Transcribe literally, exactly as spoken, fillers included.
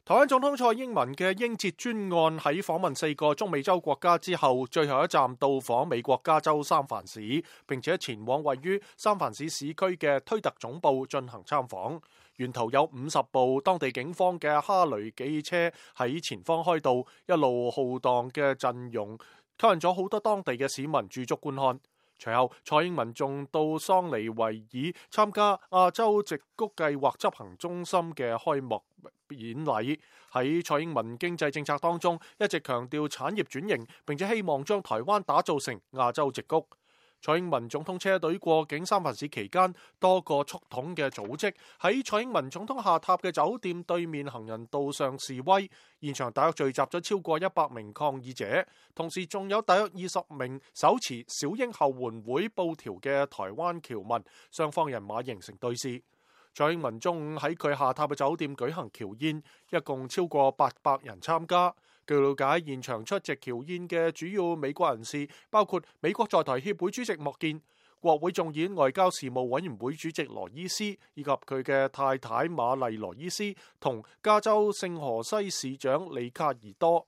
台灣總統蔡英文嘅英捷專案喺訪問四個中美洲國家之後，最後一站到訪美國加州三藩市，並且前往位於三藩市市區嘅推特總部進行參訪。沿途有五十部當地警方嘅哈雷機車喺前方開道，一路浩蕩嘅陣容吸引咗好多當地嘅市民駐足觀看。隨後，蔡英文仲到桑尼維爾參加亞洲矽谷計劃執行中心嘅開幕演禮。喺蔡英文經濟政策當中，一直強調產業轉型，並且希望將台灣打造成亞洲矽谷。蔡英文總統車隊過境三藩市期間，多個促統嘅組織喺蔡英文總統下榻嘅酒店對面行人道上示威，現場大約聚集咗超過一百名抗議者，同時仲有大約二十名手持小英後援會布條嘅台灣僑民，雙方人馬形成對峙。蔡英文中午喺佢下榻嘅酒店舉行僑宴，一共超過八百人參加。據了解，現場出席僑宴嘅主要美國人士包括美國在台協會主席莫健、國會眾議院外交事務委員會主席羅伊斯，以及佢嘅太太瑪麗羅伊斯同加州聖荷西市長里卡爾多。